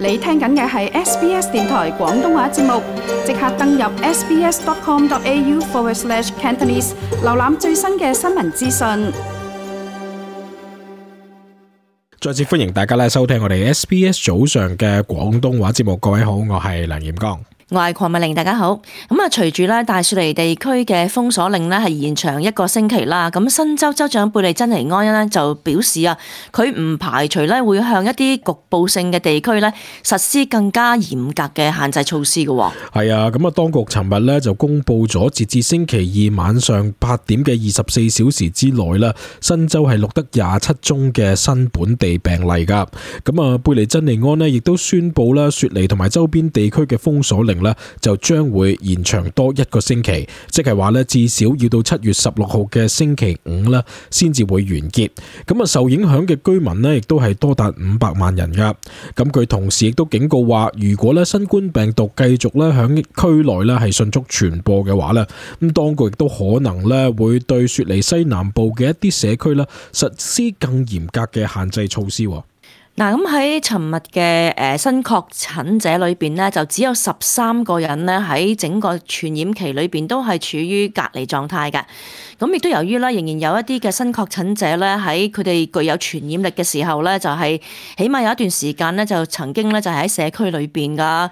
你聽緊嘅係 SBS 電台廣東話節目，即刻登入 sbs.com.au/Cantonese， 瀏覽最新嘅新聞資訊。再次歡迎大家收聽我哋 SBS 早上嘅廣東話節目。各位好，我係梁炎剛。我係鄺美玲，大家好。隨住大雪梨地區嘅封鎖令係延長1個星期啦。新州州長貝利珍尼安就表示佢唔排除會向一啲局部性嘅地區實施更加嚴格嘅限制措施嘅。係啊，當局尋日就公布咗截至星期二晚上8點嘅24小時之內啦，新州係錄得27宗嘅新本地病例噶。貝利珍尼安亦都宣布啦，雪梨同埋周邊地區嘅封鎖令就將會延長多1個星期，即係話至少要到7月16號嘅星期五先至會完結。受影響嘅居民亦都係多達500萬人噶。佢同時亦都警告話，如果新冠病毒繼續響區內係迅速傳播嘅話咁當局亦都可能會對雪梨西南部嘅一啲社區實施更嚴格嘅限制措施。喺尋日嘅新確診者裏邊就只有13個人喺整個傳染期裏邊都係處於隔離狀態嘅。亦都由於仍然有一啲嘅新確診者喺佢哋具有傳染力嘅時候就係起碼有一段時間就曾經就係喺社區裏邊噶。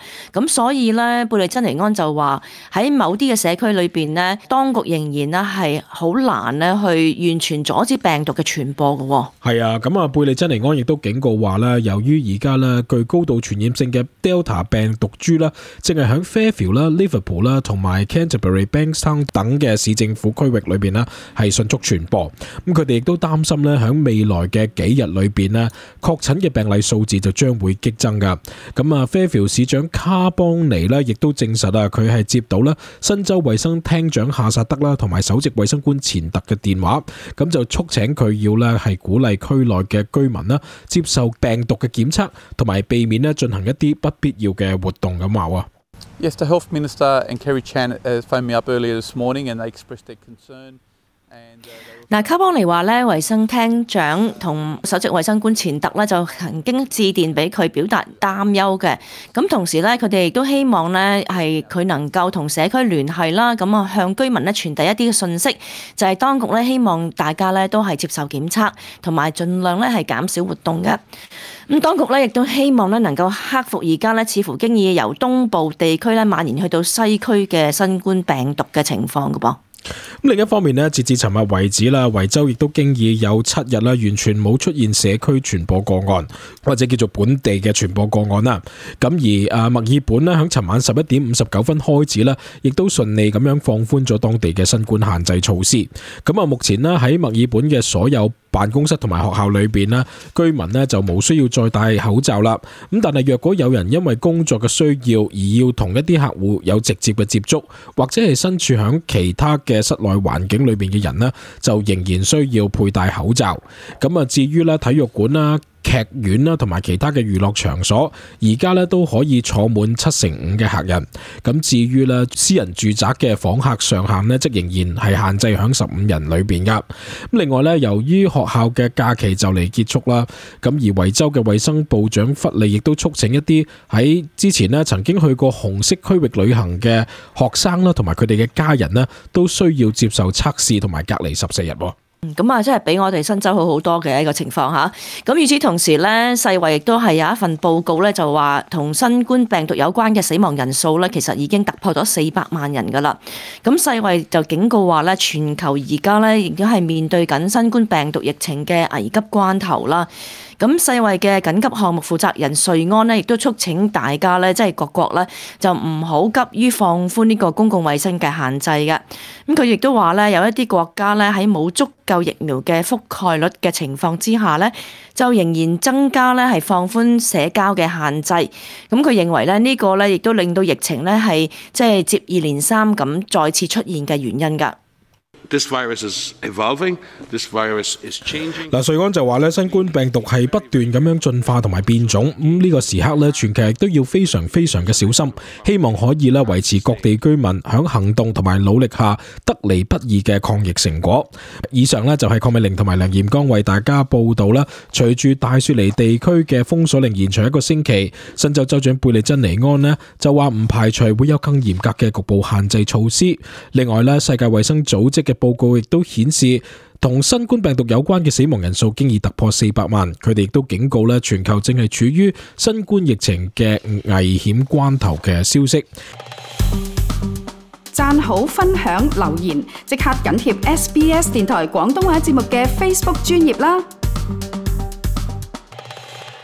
所以貝利珍尼安就話喺某啲嘅社區裏邊當局仍然係好難去完全阻止病毒嘅傳播嘅。係啊，貝利珍尼安亦都警告話由於而家具高度傳染性嘅 Delta 病毒株正係響 Fairfield、Liverpool 同埋 Canterbury、Bankstown 等嘅市政府區域裏邊係迅速傳播。佢哋亦都擔心響未來嘅幾日裏邊確診嘅病例數字就將會激增噶。Fairfield 市長卡邦尼亦都證實佢係接到新州衛生廳長夏薩德同埋首席衛生官錢特嘅電話，就促請佢要係鼓勵區內嘅居民接受病毒嘅檢測，同埋避免進行一啲不必要嘅活動咁話。Yes, the Health Minister and Kerry Chan phoned me up earlier this morning and they expressed their concern. 卡邦尼話衛生廳長同首席衛生官錢特就曾經致電俾佢表達擔憂嘅。同時佢哋亦都希望係佢能夠同社區聯繫啦，向居民傳遞一啲嘅信息，就係當局希望大家都係接受檢測，同埋盡量係減少活動嘅。當局亦都希望能夠克服而家似乎經已由東部地區蔓延去到西區嘅新冠病毒嘅情況嘅噃。另一方面截至尋日為止維州亦都經已有7日完全冇出現社區傳播個案，或者叫做本地嘅傳播個案啦。而墨爾本響尋晚11點59分開始亦都順利咁樣放寬咗當地嘅新冠限制措施。目前喺墨爾本嘅所有辦公室同埋學校裏邊居民就冇需要再戴口罩啦。但係若果有人因為工作嘅需要而要同一啲客戶有直接嘅接觸，或者係身處響其他嘅室內環境裏邊嘅人就仍然需要佩戴口罩。至於體育館啦、劇院啦同埋其他嘅娛樂場所，而家都可以坐滿75%嘅客人。至於私人住宅嘅訪客上限則仍然係限制響15人裏邊噶。另外由於學校嘅假期就嚟結束啦，而維州嘅衛生部長弗利亦都促請一啲喺之前曾經去過紅色區域旅行嘅學生啦，同埋佢哋嘅家人都需要接受測試同埋隔離14日。真係比我哋新州好好多嘅一個情況嚇。與此同時世衛亦都係有一份報告就話同新冠病毒有關嘅死亡人數其實已經突破咗400萬人㗎啦。世衛就警告話全球而家亦都係面對緊新冠病毒疫情嘅危急關頭啦。世衛嘅緊急項目負責人瑞安亦都促請大家即係各國就唔好急於放寬呢個公共衛生嘅限制嘅。佢亦都話有一啲國家喺冇足夠疫苗嘅覆蓋率嘅情況之下就仍然增加係放寬社交嘅限制。佢認為呢個亦都令到疫情係即係接二連三咁再次出現嘅原因㗎。This virus is evolving. This virus is changing. 瑞安就話咧，新冠病毒係不斷咁樣進化同埋變種，呢個時刻咧，全球亦都要非常非常嘅小心，希望可以咧維持各地居民響行動同埋努力下得嚟不易嘅抗疫成果。以上咧就係鄺美玲同埋梁彥剛為大家報道啦。隨住大雪梨地區嘅封鎖令延長1個星期，新州州長貝利珍尼安呢就話唔排除會有更嚴格嘅局部限制措施。另外咧，世界衛生組織嘅報告亦都顯示，同新冠病毒有關嘅死亡人數經已突破400萬。佢哋亦都警告咧，全球正係處於新冠疫情嘅危險關頭嘅消息。讚好、分享、留言，即刻緊貼SBS 電台廣東話節目嘅 Facebook 專頁啦！